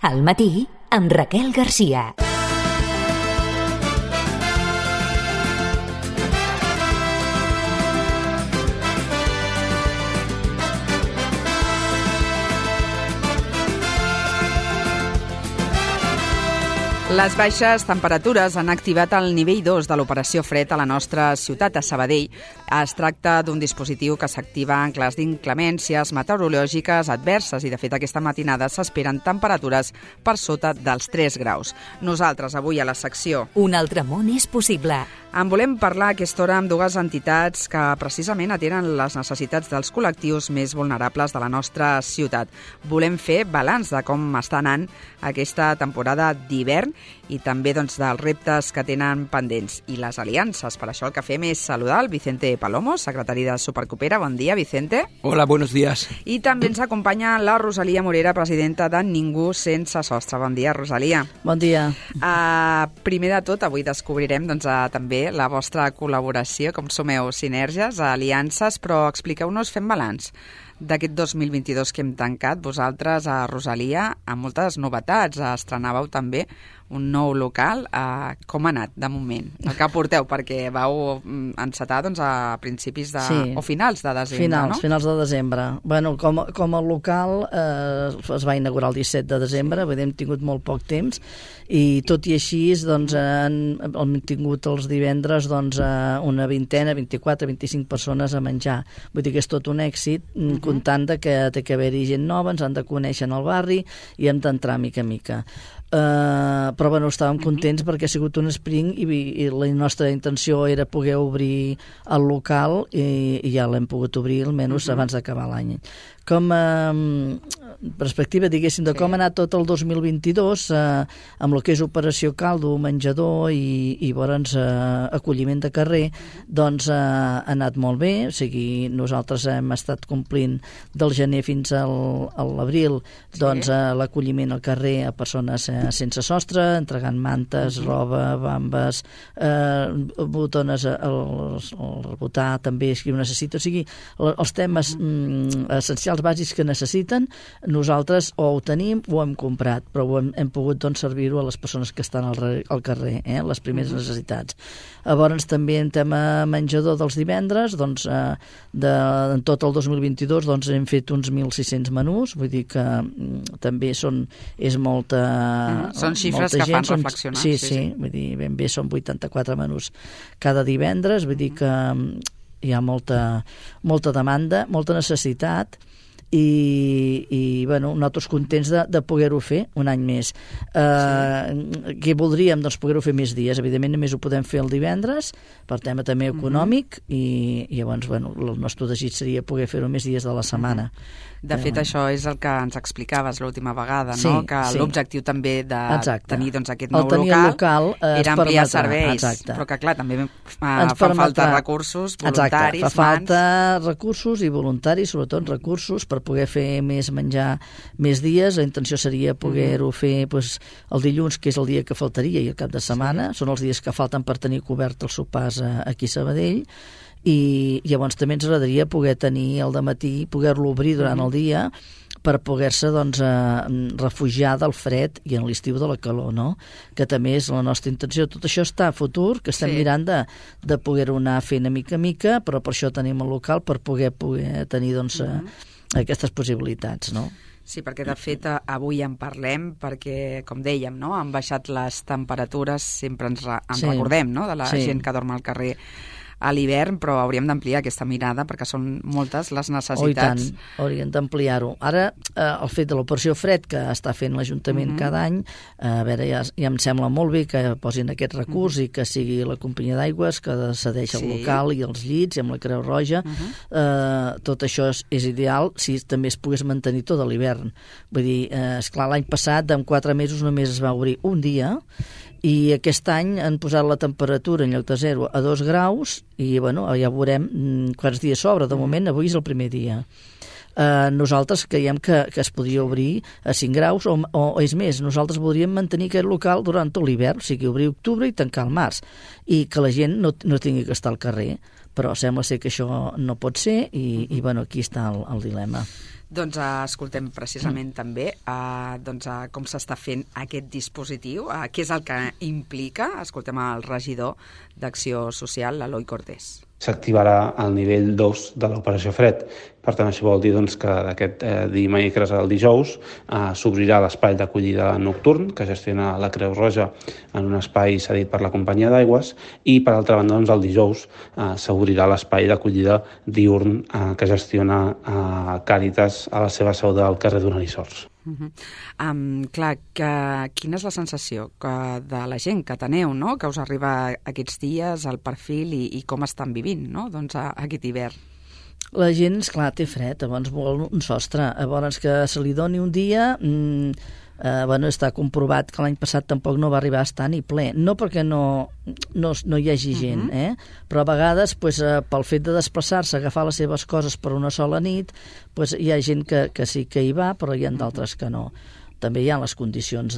Al matí, amb Raquel Garcia. Les baixes temperatures han activat el nivell 2 de l'operació fred a la nostra ciutat, a Sabadell. Es tracta d'un dispositiu que s'activa en cas d'inclemències meteorològiques adverses i, de fet, aquesta matinada s'esperen temperatures per sota dels 3 graus. Nosaltres, avui, a la secció Un altre món és possible. En volem parlar a aquesta hora amb dues entitats que precisament atenen les necessitats dels col·lectius més vulnerables de la nostra ciutat. Volem fer balanç de com està anant aquesta temporada d'hivern i també dels reptes que tenen pendents i les aliances. Per això el que fem és saludar el Vicente Palomo, secretari de Supercoopera. Bon dia, Vicente. Hola, buenos días. I també ens acompanya la Rosalia Morera, presidenta de Ningú Sense Sostre. Bon dia, Rosalia. Bon dia. Primer de tot, avui descobrirem també la vostra col·laboració, com sumeu sinergies, aliances, però expliqueu-nos, fem balanç d'aquest 2022 que hem tancat. Vosaltres, a Rosalia, amb moltes novetats, estrenàveu també un nou local. Com ha anat, de moment? El que porteu, perquè vau encetar a principis o finals de desembre, no? Finals de desembre. Bueno, com a local es va inaugurar el 17 de desembre, hem tingut molt poc temps, i tot i així hem tingut els divendres una vintena, 24, 25 persones a menjar. Vull dir que és tot un èxit, comptant que té que haver-hi gent nova, ens han de conèixer en el barri i hem d'entrar mica a mica. Però bueno, estàvem contents perquè ha sigut un sprint i la nostra intenció era poder obrir el local i ja l'hem pogut obrir almenys abans d'acabar l'any. Com a perspectiva, diguéssim, de com ha anat tot el 2022 amb el que és operació caldo, menjador i llavors acolliment de carrer, doncs ha anat molt bé. O sigui, nosaltres hem estat complint del gener fins a l'abril l'acolliment al carrer a persones sense sostre, entregant mantes, roba, bambes, botones al rebotar, també, si ho necessita. O sigui, els temes essencials bàsics que necessiten, nosaltres o ho tenim o ho hem comprat, però hem pogut servir-ho a les persones que estan al carrer, les primeres necessitats. Llavors també en tema menjador dels divendres, en tot el 2022 hem fet uns 1.600 menús, vull dir que també és molta... Són xifres que fan reflexionar. Sí, vull dir, ben bé són 84 menús cada divendres, vull dir que hi ha molta demanda, molta necessitat, i bueno, nosaltres contents de poder-ho fer un any més. Què voldríem? Doncs poder-ho fer més dies. Evidentment només ho podem fer el divendres per tema també econòmic, i llavors el nostre desig seria poder fer-ho més dies de la setmana. De fet, això és el que ens explicaves l'última vegada, no? Que l'objectiu també de tenir aquest nou local era ampliar serveis, però que clar, també fa falta recursos, voluntaris, fa falta recursos i voluntaris, sobretot recursos per poder fer més menjar més dies. La intenció seria poder-ho fer el dilluns, que és el dia que faltaria, i el cap de setmana. Són els dies que falten per tenir cobert els sopars aquí a Sabadell. I llavors també ens agradaria poder tenir el dematí, poder-lo obrir durant el dia per poder-se refugiar del fred i en l'estiu de la calor, no? Que també és la nostra intenció. Tot això està a futur, que estem mirant de poder-ho anar fent a mica, però per això tenim el local, per poder tenir aquestes possibilitats, no? Sí, perquè de fet avui en parlem perquè, com dèiem, han baixat les temperatures, sempre ens recordem de la gent que dorm al carrer a l'hivern, però hauríem d'ampliar aquesta mirada perquè són moltes les necessitats. Oh, i tant, hauríem d'ampliar-ho. Ara, el fet de l'operació fred que està fent l'Ajuntament cada any, a veure, ja em sembla molt bé que posin aquest recurs i que sigui la companyia d'aigües que cedeix el local i els llits i amb la Creu Roja. Tot això és ideal si també es pogués mantenir tot l'hivern. Vull dir, esclar, l'any passat, en 4 mesos només es va obrir un dia, i aquest any han posat la temperatura en lloc de 0 a 2 graus i ja veurem quants dies s'obre. De moment, avui és el primer dia. Nosaltres creiem que es podria obrir a 5 graus o és més, nosaltres voldríem mantenir aquest local durant tot l'hivern, o sigui, obrir octubre i tancar al març, i que la gent no tingui que estar al carrer. Però sembla ser que això no pot ser i aquí està el dilema. Doncs escoltem precisament també com s'està fent aquest dispositiu, què és el que implica. Escoltem el regidor d'Acció Social, l'Eloi Cortés. S'activarà al nivell 2 de l'operació Fred. Per tant, això vol dir que d'aquest dimecres al dijous s'obrirà l'espai d'acollida nocturn que gestiona la Creu Roja en un espai cedit per la companyia d'aigües i, per altra banda, el dijous s'obrirà l'espai d'acollida diurn que gestiona Càritas a la seva seu del carrer Donalissors. Clar, quina és la sensació de la gent que teneu, no? Que us arriba aquests dies, el perfil i com estan vivint, no? Doncs aquest hivern. La gent, esclar, té fred, llavors vol un sostre, llavors que se li doni un dia... està comprovat que l'any passat tampoc no va arribar a estar ni ple, no perquè no hi hagi gent, però a vegades pel fet de desplaçar-se, agafar les seves coses per una sola nit, hi ha gent que sí que hi va, però hi ha d'altres que no. També hi ha les condicions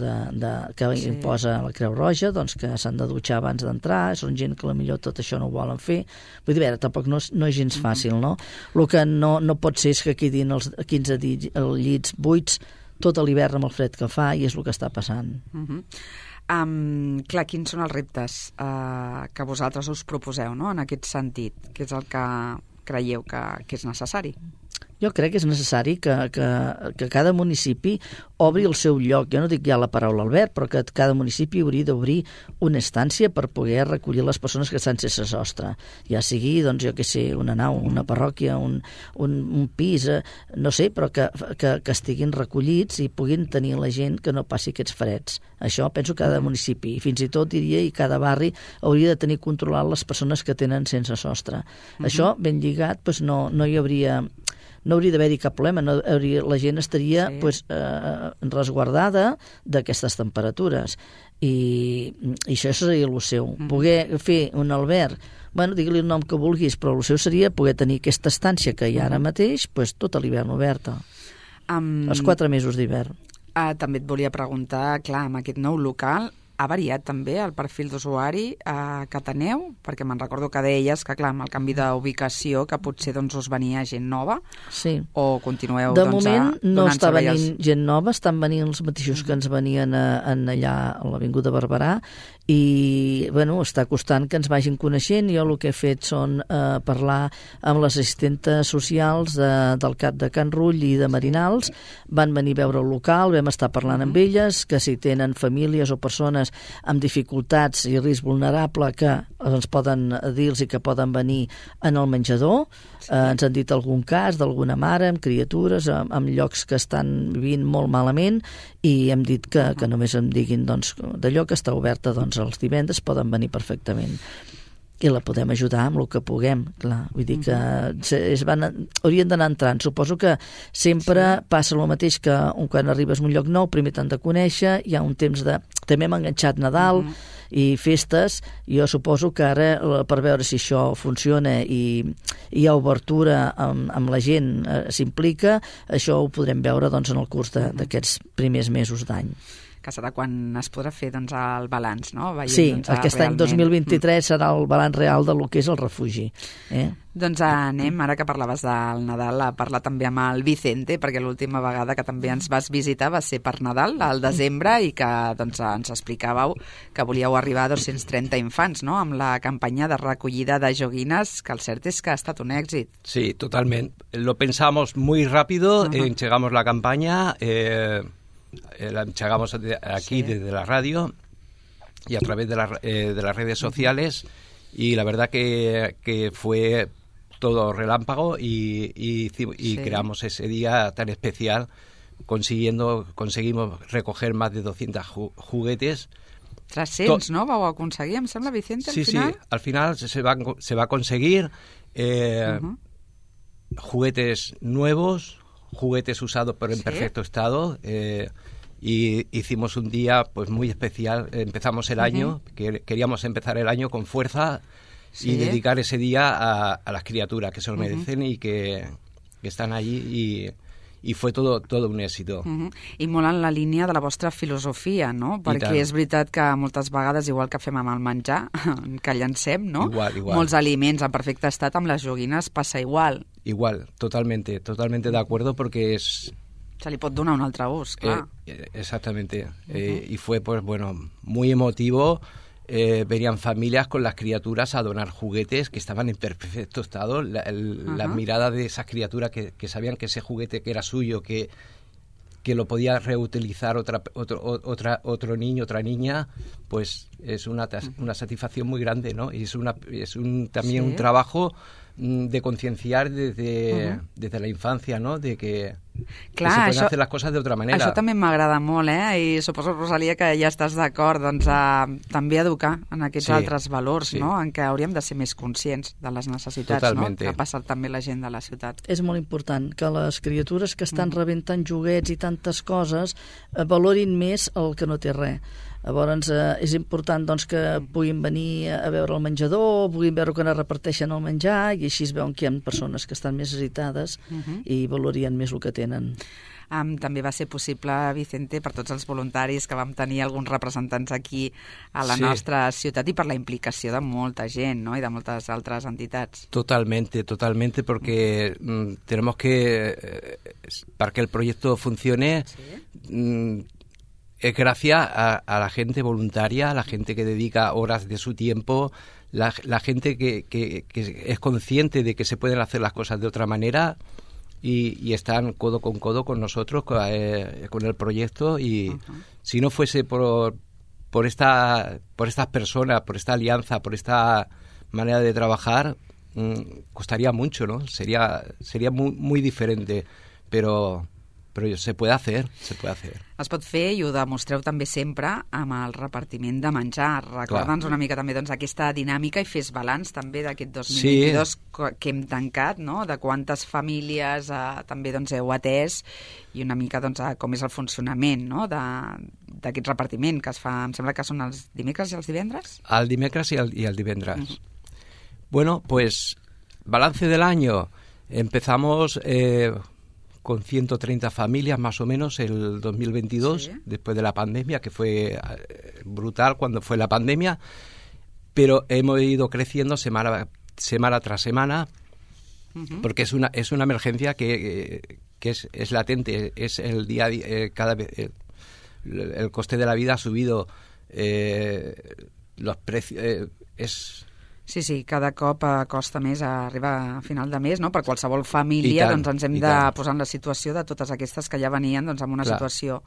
que imposa la Creu Roja, doncs que s'han de dutxar abans d'entrar, són gent que potser tot això no ho volen fer. Vull dir, tampoc no és gens fàcil, no? El que no pot ser és que quedin els 15 llits buits tot l'hivern amb el fred que fa, i és el que està passant. Clar, quins són els reptes que vosaltres us proposeu, no?, en aquest sentit? Què és el que creieu que és necessari? Jo crec que és necessari que cada municipi obri el seu lloc. Jo no dic ja la paraula Albert, però que cada municipi hauria d'obrir una estància per poder recollir les persones que estan sense sostre. Ja sigui, doncs, jo què sé, una nau, una parròquia, un pis, no sé, però que estiguin recollits i puguin tenir la gent que no passi aquests freds. Això penso que cada municipi, i fins i tot diria, i cada barri hauria de tenir controlat les persones que tenen sense sostre. Això, ben lligat, doncs no hi hauria... No hauria d'haver-hi cap problema, la gent estaria resguardada d'aquestes temperatures. I això seria el seu. Poder fer un alberg, digue-li el nom que vulguis, però el seu seria poder tenir aquesta estància que hi ha ara mateix, tot l'hivern oberta. Els 4 mesos d'hivern. També et volia preguntar, clar, amb aquest nou local, ha variat també el perfil d'usuari que teneu? Perquè me'n recordo que deies que, clar, amb el canvi d'ubicació, que potser us venia gent nova, o continueu de moment no està venint gent nova, estan venint els mateixos que ens venien allà a l'Avinguda Barberà, i està costant que ens vagin coneixent. Jo el que he fet són parlar amb les assistentes socials del CAP de Can Rull i de Marinals. Van venir a veure el local, vam estar parlant amb elles, que si tenen famílies o persones amb dificultats i risc vulnerable, que ens poden dir-los i que poden venir en el menjador. Ens han dit algun cas d'alguna mare amb criatures, amb llocs que estan vivint molt malament, i hem dit que només em diguin d'allò que està oberta els divendres, poden venir perfectament. I la podem ajudar amb el que puguem, clar. Vull dir que haurien d'anar entrant. Suposo que sempre passa el mateix, que quan arribes a un lloc nou primer t'han de conèixer, hi ha un temps de... També hem enganxat Nadal i festes. Jo suposo que ara, per veure si això funciona i hi ha obertura amb la gent, s'implica, això ho podrem veure en el curs d'aquests primers mesos d'any. Que serà quan es podrà fer el balanç, no? Sí, aquest any 2023 serà el balanç real del que és el refugi. Doncs anem, ara que parlaves del Nadal, a parlar també amb el Vicente, perquè l'última vegada que també ens vas visitar va ser per Nadal, al desembre, i que ens explicàveu que volíeu arribar a 230 infants, no?, amb la campanya de recollida de joguines, que el cert és que ha estat un èxit. Sí, totalment. Lo pensamos muy rápido, entregamos la campaña... la entregamos aquí desde la radio y a través de las redes sociales, y la verdad que fue todo relámpago y creamos ese día tan especial. Conseguimos recoger más de 200 juguetes. 300, ¿no? Vau aconseguir, em sembla, Vicente, al final. Sí, al final se va a conseguir juguetes nuevos, juguetes usados pero en perfecto estado, y hicimos un día pues muy especial. Empezamos el año, queríamos empezar el año con fuerza y dedicar ese día a las criaturas que se lo merecen y que están allí y fue todo un éxito. I molt en la línia de la vostra filosofia, no? Perquè és veritat que moltes vegades, igual que fem amb el menjar, que llancem, no? Igual. Molts aliments en perfecte estat, amb les joguines passa igual. Igual, totalmente de acuerdo, porque es... Se li pot donar un altre ús, clar. Exactamente. Y fue, pues bueno, muy emotivo. Venían familias con las criaturas a donar juguetes que estaban en perfecto estado. La mirada de esas criaturas que sabían que ese juguete que era suyo, que lo podía reutilizar otro niño, otra niña, pues es una satisfacción muy grande, ¿no? Y es también un trabajo de concienciar desde la infancia, ¿no? De que clar, se poden hacer les coses d'altra manera. Això també m'agrada molt, I suposo, Rosalia, que ja estàs d'acord, doncs, també educar en aquests altres valors, no? En què hauríem de ser més conscients de les necessitats, totalmente, no? Que passa també la gent de la ciutat. És molt important que les criatures que estan rebent tant joguets i tantes coses valorin més el que no té res. Llavors, és important doncs, que puguin venir a veure el menjador, puguin veure quan es reparteixen el menjar, i així es veuen que hi ha persones que estan més necessitades i valorien més el que tenen. També va ser possible, Vicente, per tots els voluntaris que vam tenir alguns representants aquí a la nostra ciutat i per la implicació de molta gent, ¿no? I de moltes altres entitats. Totalmente, porque tenemos que, para que el proyecto funcione, es gracias a la gente voluntaria, a la gente que dedica horas de su tiempo, la gente que es consciente de que se pueden hacer las cosas de otra manera y están codo con codo con nosotros, con el proyecto. Y si no fuese por estas personas, por esta alianza, por esta manera de trabajar, costaría mucho, ¿no? Sería muy, muy diferente, però se puede hacer. Es pot fer i ho demostreu també sempre amb el repartiment de menjar. Recorda'ns una mica també doncs, aquesta dinàmica i fes balanç també d'aquest 2022 que hem tancat, no? De quantes famílies també doncs, heu atès i una mica doncs, com és el funcionament, no? D'aquest repartiment que es fa, em sembla que són els dimecres i els divendres? El dimecres i el divendres. Bueno, pues balance del año. Empezamos con 130 familias más o menos el 2022, después de la pandemia, que fue brutal cuando fue la pandemia, pero hemos ido creciendo semana tras semana, porque es una emergencia que es latente, es el día a día, cada vez el coste de la vida ha subido, los precios, Sí, cada cop costa més arribar a final de mes, no? Per qualsevol família doncs ens hem de posar en la situació de totes aquestes que ja venien doncs, en una situació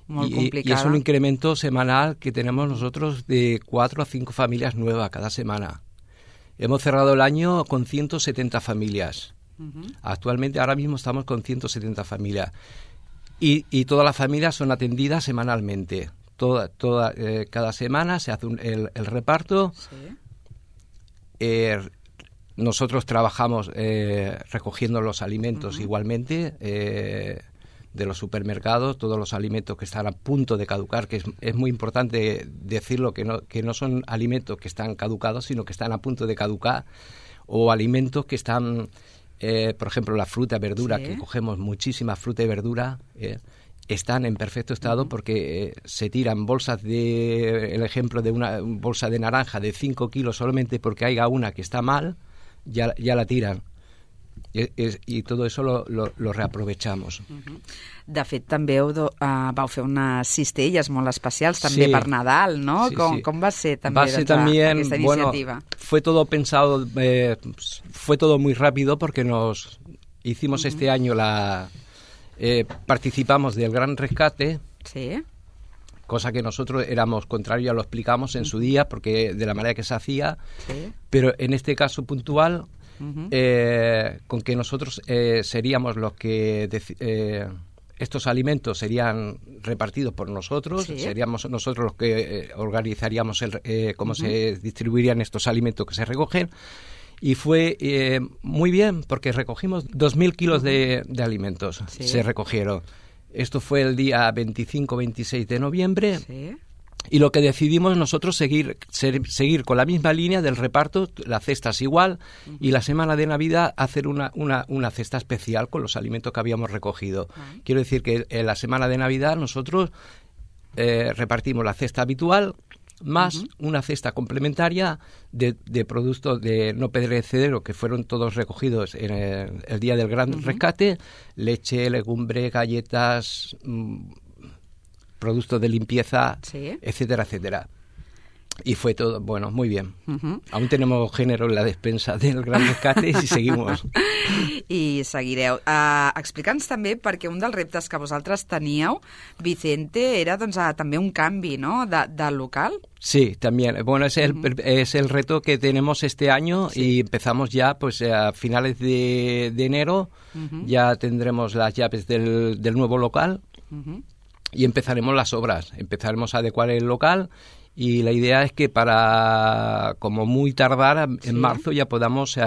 molt complicada. Y es un incremento semanal que tenemos nosotros de 4 a 5 familias nuevas cada semana. Hemos cerrado el año con 170 familias. Actualmente, ahora mismo estamos con 170 familias. Y todas las familias son atendidas semanalmente. Cada semana se hace el reparto. Nosotros trabajamos recogiendo los alimentos igualmente de los supermercados, todos los alimentos que están a punto de caducar, que es muy importante decirlo, que no son alimentos que están caducados, sino que están a punto de caducar, o alimentos que están, por ejemplo, la fruta, verdura, que cogemos muchísima fruta y verdura, están en perfecto estado porque se tiran bolsas el ejemplo de una bolsa de naranja de 5 kilos solamente porque haya una que está mal, ya la tiran. I tot això lo reaprovechamos. De fet, també vau fer unas cistelles molt especials també per Nadal, ¿no? Com va ser també aquesta iniciativa? Bueno, fue todo pensado, fue todo muy rápido porque nos hicimos este año participamos del Gran Rescate, cosa que nosotros éramos contrarios, ya lo explicamos en su día, porque de la manera que se hacía, pero en este caso puntual, con que nosotros seríamos los que estos alimentos serían repartidos por nosotros, seríamos nosotros los que organizaríamos cómo se distribuirían estos alimentos que se recogen. Y fue muy bien, porque recogimos 2.000 kilos de alimentos, se recogieron. Esto fue el día 25-26 de noviembre Y lo que decidimos nosotros seguir con la misma línea del reparto, la cesta es igual, y la semana de Navidad hacer una cesta especial con los alimentos que habíamos recogido. Quiero decir que en la semana de Navidad nosotros repartimos la cesta habitual más una cesta complementaria de productos de no perecedero que fueron todos recogidos en el día del gran rescate: leche, legumbre, galletas, productos de limpieza, etcétera, etcétera. Y fue todo, bueno, muy bien. Aún tenemos género en la despensa del gran rescate i seguimos. I seguireu. Explica'ns també, perquè un dels reptes que vosaltres teníeu, Vicente, era doncs, també un canvi, ¿no?, de local. Sí, también. Bueno, es el reto que tenemos este año y empezamos ya, pues a finales de enero, ya tendremos las llaves del nuevo local y empezaremos las obras. Empezaremos a adecuar el local. Y la idea es que para, como muy tardar, en marzo ya podamos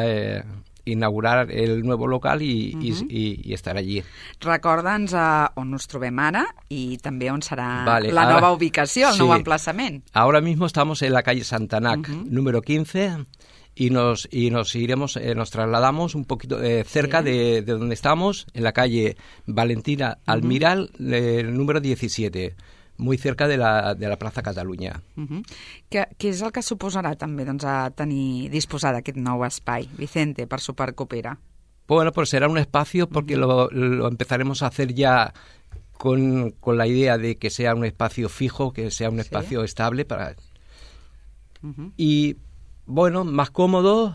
inaugurar el nuevo local y estar allí. Recorda'ns on us trobem ara i també on serà la nova ubicació, el nou emplaçament. Ahora mismo estamos en la calle Santanac, número 15, y nos iremos, nos trasladamos un poquito cerca de donde estamos, en la calle Valentina Almiral, número 17. Muy cerca de la Plaza Catalunya. Què és el que suposarà també doncs, a disposar d'aquest nou espai, Vicente, per Supercoopera? Bueno, pues será un espacio porque lo empezaremos a hacer ya con la idea de que sea un espacio fijo, que sea un espacio estable para... Y, bueno, más cómodo...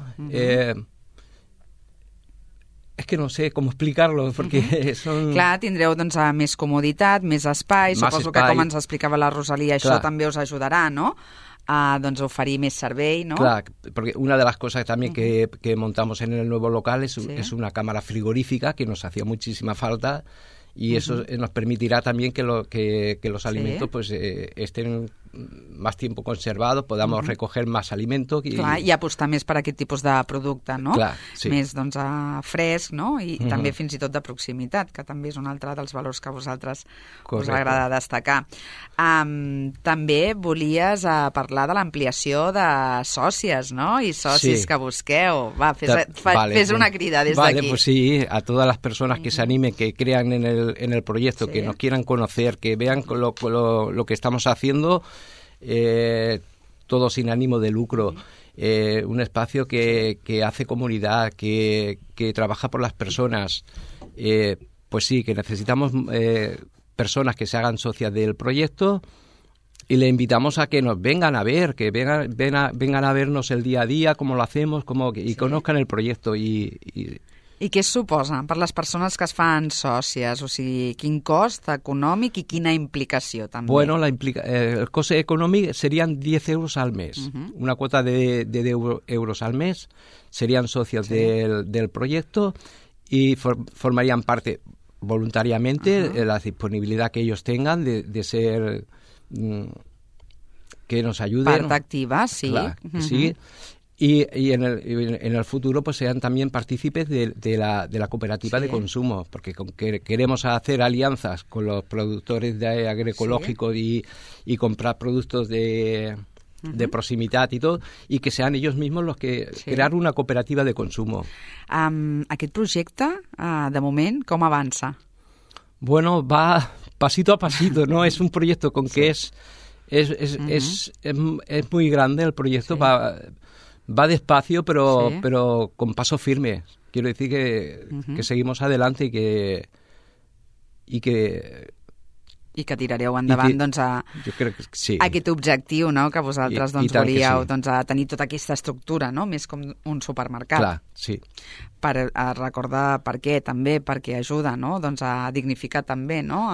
És que no sé com explicar-lo, perquè són... Clar, tindreu doncs, més comoditat, més espai, suposo que com ens explicava la Rosalia, això també us ajudarà, ¿no?, a doncs, oferir més servei, ¿no? Clar, porque una de las cosas también que montamos en el nuevo local es una cámara frigorífica que nos hacía muchísima falta y eso nos permitirá también que los alimentos pues estén más tiempo conservados, podamos recoger más alimento. Clar, i apostar més per aquest tipus de producte, no? Clar, sí. Més doncs, fresc, no? I també fins i tot de proximitat, que també és un altre dels valors que a vosaltres us agrada destacar. També volies parlar de l'ampliació de sòcies, no? I socis que busqueu. Va, fes una crida des d'aquí. Vale, pues sí, a todas las personas que se animen, que crean en el proyecto, que nos quieran conocer, que vean lo que estamos haciendo, todo sin ánimo de lucro, un espacio que hace comunidad, que trabaja por las personas, pues sí, que necesitamos personas que se hagan socias del proyecto y le invitamos a que nos vengan a ver, que vengan a vernos el día a día, cómo lo hacemos, y conozcan el proyecto I què suposa per les persones que es fan sòcies? O sigui, quin cost econòmic i quina implicació també? Bueno, el coste económico serían 10 euros al mes. Una cuota de 10 euros al mes. Serían socios del proyecto y formarían parte voluntariamente de la disponibilidad que ellos tengan de ser... que nos ayuden. Parte activa, sí. Claro, sí. Y en el futuro pues sean también partícipes de la cooperativa de consumo, porque queremos hacer alianzas con los productores agroecológicos y comprar productos de proximitat i tot, i que sean ellos mismos los que crear una cooperativa de consumo. Aquest projecte, de moment, com avança? Bueno, va pasito a pasito, ¿no? Es un proyecto con que es muy grande el proyecto, va despacio, pero con paso firme. Quiero decir que seguimos adelante i que tirareu endavant doncs, jo crec que sí. Aquest objectiu, no?, que vosaltres doncs, volíeu doncs, tenir tota aquesta estructura, no?, més com un supermercat. Clar, sí. Per recordar per què, també, perquè ajuda, no?, doncs, a dignificar també, no?,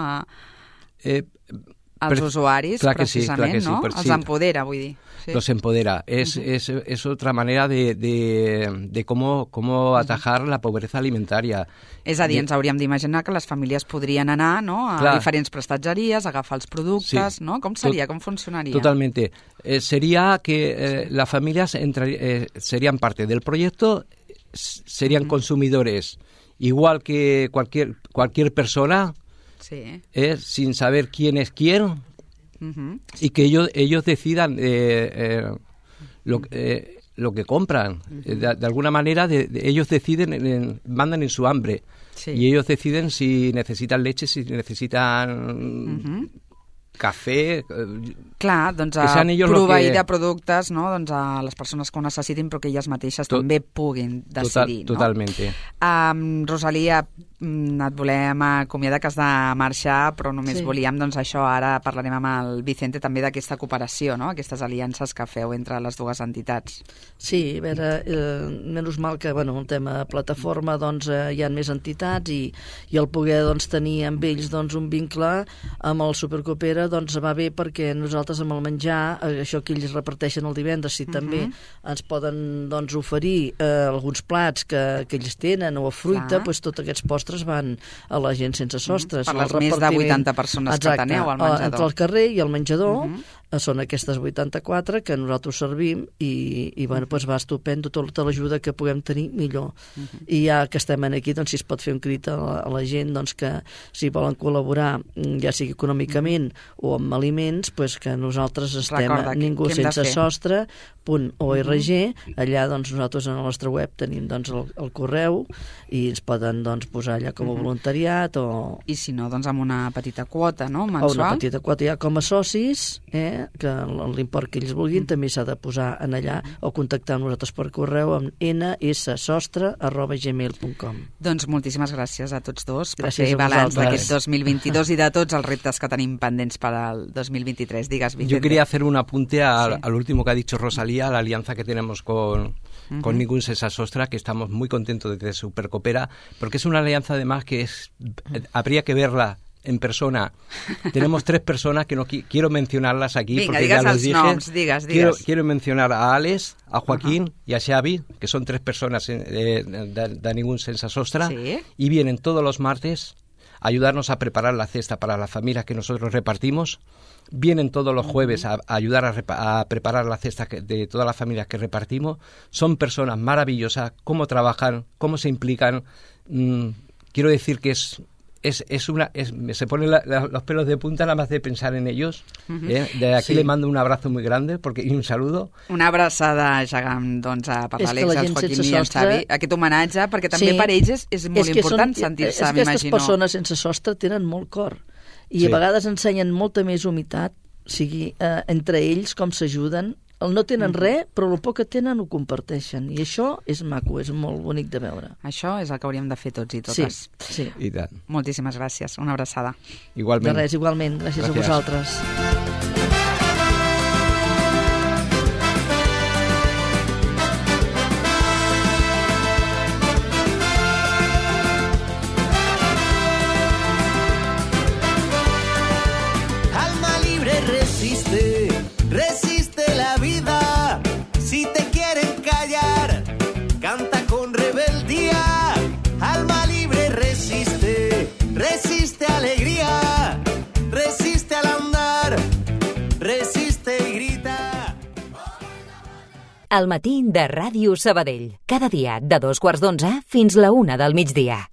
als usuaris, precisament, no? Els empodera, vull dir. Sí. Los empodera. Es otra manera de cómo atajar la pobreza alimentaria. És a dir, ens hauríem d'imaginar que les famílies podrien anar, no?, a diferents prestatgeries, agafar els productes, no? Com seria? Com funcionaria? Totalmente. Sería que las familias serían parte del proyecto, serían consumidores, igual que cualquier persona, sin saber quién es quién, y que ellos decidan lo que compran. De alguna manera ellos deciden, mandan en su hambre. Sí. Y ellos deciden si necesitan leche, si necesitan cafè... Clar, doncs proveir de productes, no? Doncs a les persones que ho necessitin, però que elles mateixes també puguin decidir. Totalment. Rosalia, et volem acomiadar, que has de marxar, però només volíem, doncs això, ara parlarem amb el Vicente també d'aquesta cooperació, no? Aquestes aliances que feu entre les dues entitats. Sí, a veure, menys mal que, bueno, el tema plataforma, doncs hi ha més entitats i el poder doncs, tenir amb ells doncs, un vincle amb el Supercoopera doncs va bé perquè nosaltres amb el menjar, això que ells reparteixen el divendres, si també ens poden doncs, oferir alguns plats que ells tenen o fruita, doncs tots aquests postres van a la gent sense sostres. Per les més de 80 persones que teniu al menjador. Entre el carrer i el menjador són aquestes 84 que nosaltres servim i bueno, doncs va estupendo tota l'ajuda que puguem tenir millor. I ja que estem aquí, doncs si es pot fer un crit a la gent doncs que si volen col·laborar, ja sigui econòmicament o amb aliments, doncs que nosaltres estem a ningú sense sostre.org. Allà doncs nosaltres en la nostra web tenim doncs el correu i ens poden doncs posar allà com a voluntariat o... I si no, doncs amb una petita quota, no? Mensual? O una petita quota ja com a socis, que l'import que ells vulguin també s'ha de posar en allà o contactar amb nosaltres per correu amb nssostre@gmail.com. Doncs moltíssimes gràcies a tots dos per fer balanç d'aquest 2022 i de tots els reptes que tenim pendents per al 2023. Digues, Vicente. Yo quería hacer un apunte al último que ha dicho Rosalía, la alianza que tenemos con Ningún Sense Sostre, que estamos muy contentos de Supercoopera, porque es una alianza además que habría que verla en persona. Tenemos 3 personas que no quiero mencionarlas aquí. Venga, porque ya los dije. Noms, digas. Quiero mencionar a Alex, a Joaquín y a Xavi, que son 3 personas de Ningún Sense Sostre, y vienen todos los martes a ayudarnos a preparar la cesta para las familias que nosotros repartimos. Vienen todos los jueves a ayudar a preparar la cesta de todas las familias que repartimos. Son personas maravillosas, cómo trabajan, cómo se implican. Quiero decir que se ponen los pelos de punta nada más de pensar en ellos. De aquí le mando un abrazo muy grande y un saludo. Una abraçada gegant doncs, per l'Àlex, el Joaquín i el Xavi. Aquest homenatge, perquè també per ells és molt important sentir-se, m'imagino. És que aquestes persones sense sostre tenen molt cor i a vegades ensenyen molta més humitat, sigui entre ells com s'ajuden. No tenen res, però el poc que tenen ho comparteixen. I això és maco, és molt bonic de veure. Això és el que hauríem de fer tots i totes. Sí. I tant. Moltíssimes gràcies. Una abraçada. Igualment. De res, igualment. Gràcies a vosaltres. Alma libre resiste la vida. Si te quieren callar, canta con rebeldía. Alma libre resiste alegría, resiste al andar, resiste y grita. El matí de Ràdio Sabadell. Cada dia de 2:15 fins la 1 del migdia.